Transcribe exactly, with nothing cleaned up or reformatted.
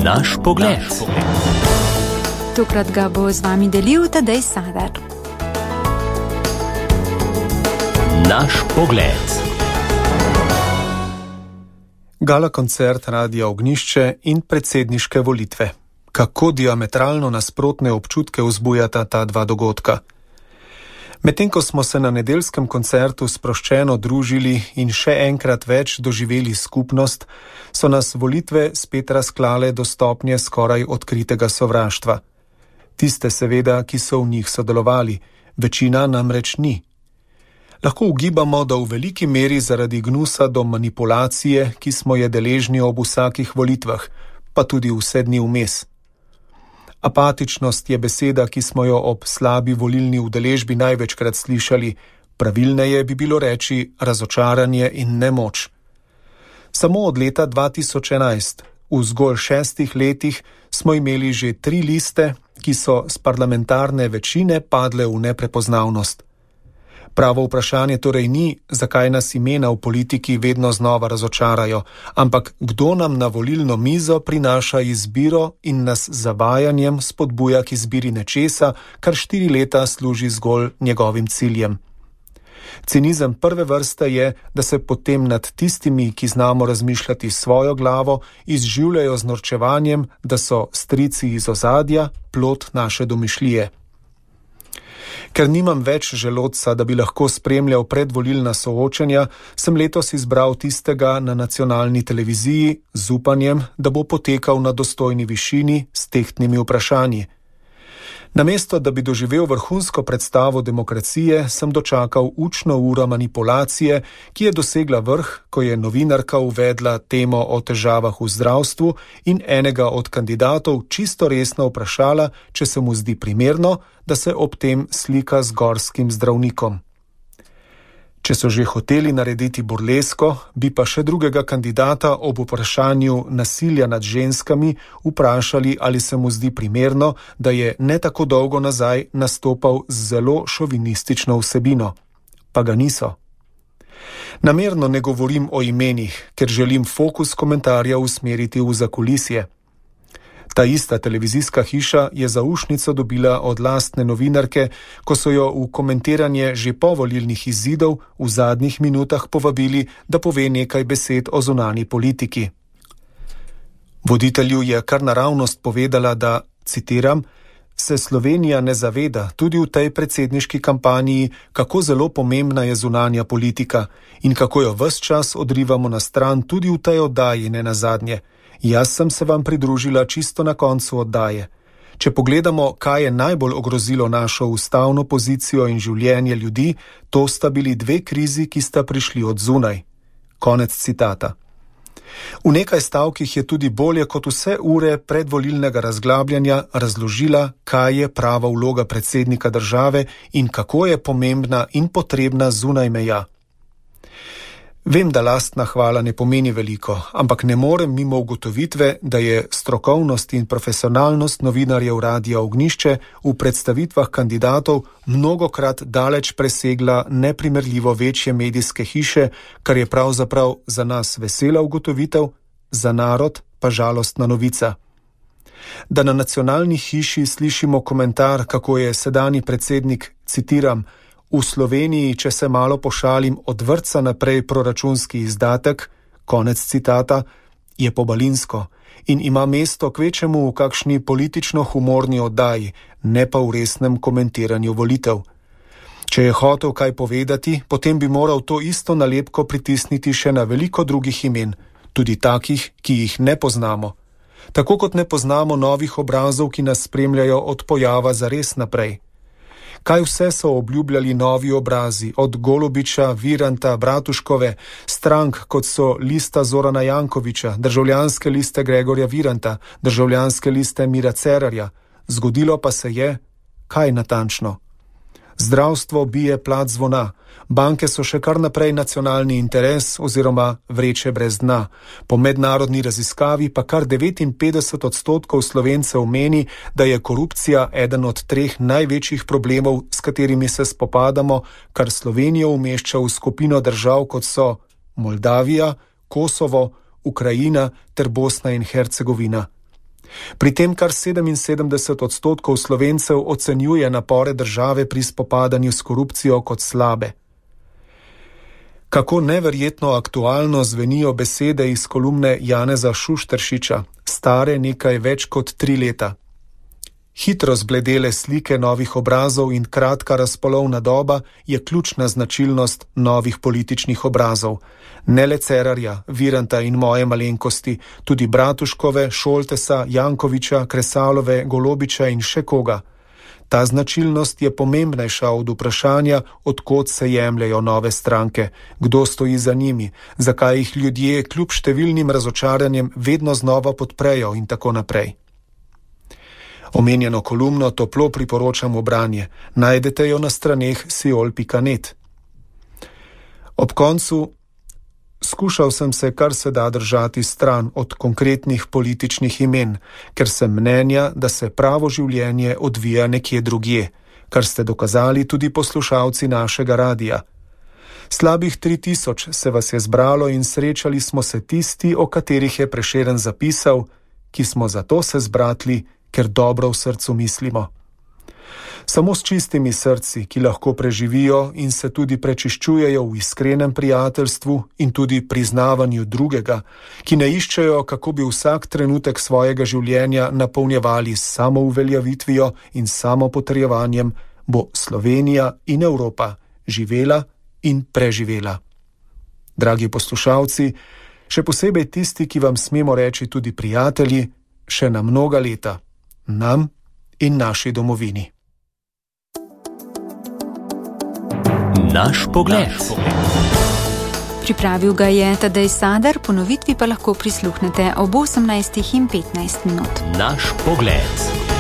Naš pogled. Tokrat ga bo z vami delil Tadej Sadar. Naš pogled. Gala koncert Radia Ognjišče in predsedniške volitve. Kako diametralno nasprotne občutke vzbujata ta dva dogodka. Medtem ko smo se na nedeljskem koncertu sproščeno družili in še enkrat več doživeli skupnost, so nas volitve spet razklale do stopnje skoraj odkritega sovraštva. Tiste seveda, ki so v njih sodelovali, večina namreč ni. Lahko ugibamo, da v veliki meri zaradi gnusa do manipulacije, ki smo je deležni ob vsakih volitvah, pa tudi vse dni vmes. Apatičnost je beseda, ki smo jo ob slabi volilni udeležbi največkrat slišali, pravilneje bi bilo reči razočaranje in nemoč. Samo od leta dva tisoč enajst, v zgolj šestih letih, smo imeli že tri liste, ki so s parlamentarne večine padle v neprepoznavnost. Pravo vprašanje torej ni, zakaj nas imena v politiki vedno znova razočarajo, ampak kdo nam na volilno mizo prinaša izbiro in nas z zavajanjem spodbuja k izbiri nečesa, kar štiri leta služi zgolj njegovim ciljem. Cinizem prve vrste je, da se potem nad tistimi, ki znamo razmišljati svojo glavo, izživljajo z norčevanjem, da so strici iz ozadja, plod naše domišljije. Ker nimam več želodca, da bi lahko spremljal predvolilna soočenja, sem letos izbral tistega na nacionalni televiziji z upanjem, da bo potekal na dostojni višini s tehtnimi vprašanji. Namesto, da bi doživel vrhunsko predstavo demokracije, sem dočakal učno uro manipulacije, ki je dosegla vrh, ko je novinarka uvedla temo o težavah v zdravstvu in enega od kandidatov čisto resno vprašala, če se mu zdi primerno, da se ob tem slika z gorskim zdravnikom. Če so že hoteli narediti burlesko, bi pa še drugega kandidata ob vprašanju nasilja nad ženskami vprašali, ali se mu zdi primerno, da je ne tako dolgo nazaj nastopal z zelo šovinistično vsebino. Pa ga niso. Namerno ne govorim o imenih, ker želim fokus komentarja usmeriti v zakulisje. Ta ista televizijska hiša je zaušnico dobila od lastne novinarke, ko so jo v komentiranje že povolilnih izidov v zadnjih minutah povabili, da pove nekaj besed o zunanji politiki. Voditelju je kar naravnost povedala, da, citiram, se Slovenija ne zaveda tudi v tej predsedniški kampanji, kako zelo pomembna je zunanja politika in kako jo ves čas odrivamo na stran tudi v tej oddaji nenazadnje. Jaz sem se vam pridružila čisto na koncu oddaje. Če pogledamo, kaj je najbolj ogrozilo našo ustavno pozicijo in življenje ljudi, to sta bili dve krizi, ki sta prišli od zunaj. Konec citata. V nekaj stavkih je tudi bolje kot vse ure predvolilnega razglabljanja razložila, kaj je prava vloga predsednika države in kako je pomembna in potrebna zunaj meja. Vem, da lastna hvala ne pomeni veliko, ampak ne morem mimo ugotovitve, da je strokovnost in profesionalnost novinarjev Radia Ognjišče v predstavitvah kandidatov mnogokrat daleč presegla neprimerljivo večje medijske hiše, kar je pravzaprav za nas vesela ugotovitev, za narod pa žalostna novica. Da na nacionalni hiši slišimo komentar, kako je sedanji predsednik, citiram, v Sloveniji, če se malo pošalim, od vrtca naprej proračunski izdatek, konec citata, je pobalinsko in ima mesto kvečemu v kakšni politično-humorni oddaji, ne pa v resnem komentiranju volitev. Če je hotel kaj povedati, potem bi moral to isto nalepko pritisniti še na veliko drugih imen, tudi takih, ki jih ne poznamo. Tako kot ne poznamo novih obrazov, ki nas spremljajo od pojava zares naprej. Kaj vse so obljubljali novi obrazi, od Golobiča, Viranta, Bratuškove, strank, kot so lista Zorana Jankovića, državljanske liste Gregorja Viranta, državljanske liste Mira Cerarja. Zgodilo pa se je, kaj natančno? Zdravstvo bije plat zvona, banke so še kar naprej nacionalni interes oziroma vreče brez dna. Po mednarodni raziskavi pa kar devetinpetdeset odstotkov Slovencev meni, da je korupcija eden od treh največjih problemov, s katerimi se spopadamo, kar Slovenijo umešča v skupino držav, kot so Moldavija, Kosovo, Ukrajina ter Bosna in Hercegovina. Pri tem kar sedeminsedemdeset odstotkov Slovencev ocenjuje napore države pri spopadanju s korupcijo kot slabe. Kako neverjetno aktualno zvenijo besede iz kolumne Janeza Šušteršiča, stare nekaj več kot tri leta. Hitro zbledele slike novih obrazov in kratka razpolovna doba je ključna značilnost novih političnih obrazov. Ne le Cerarja, Viranta in moje malenkosti, tudi Bratuškove, Šoltesa, Jankoviča, Kresalove, Golobiča in še koga. Ta značilnost je pomembnejša od vprašanja, od kod se jemljajo nove stranke, kdo stoji za njimi, zakaj jih ljudje kljub številnim razočaranjem vedno znova podprejo in tako naprej. Omenjeno kolumno toplo priporočam v branje. Najdete jo na straneh siol pika net. Ob koncu skušal sem se kar se da držati stran od konkretnih političnih imen, ker sem mnenja, da se pravo življenje odvija nekje drugje, kar ste dokazali tudi poslušalci našega radija. Slabih tri tisoč se vas je zbralo in srečali smo se tisti, o katerih je Prešeren zapisal, ki smo zato se zbratli, ker dobro v srcu mislimo. Samo s čistimi srci, ki lahko preživijo in se tudi prečiščujejo v iskrenem prijateljstvu in tudi priznavanju drugega, ki ne iščejo, kako bi vsak trenutek svojega življenja napolnjevali s samouveljavitvijo in samopotrjevanjem, bo Slovenija in Evropa živela in preživela. Dragi poslušalci, še posebej tisti, ki vam smemo reči tudi prijatelji, še na mnoga leta. Nam in naši domovini. Naš pogled. Pripravil ga je Tadej Sadar, ponovitvi pa lahko prisluhnete ob osemnajstih in petnajst minut. Naš pogled.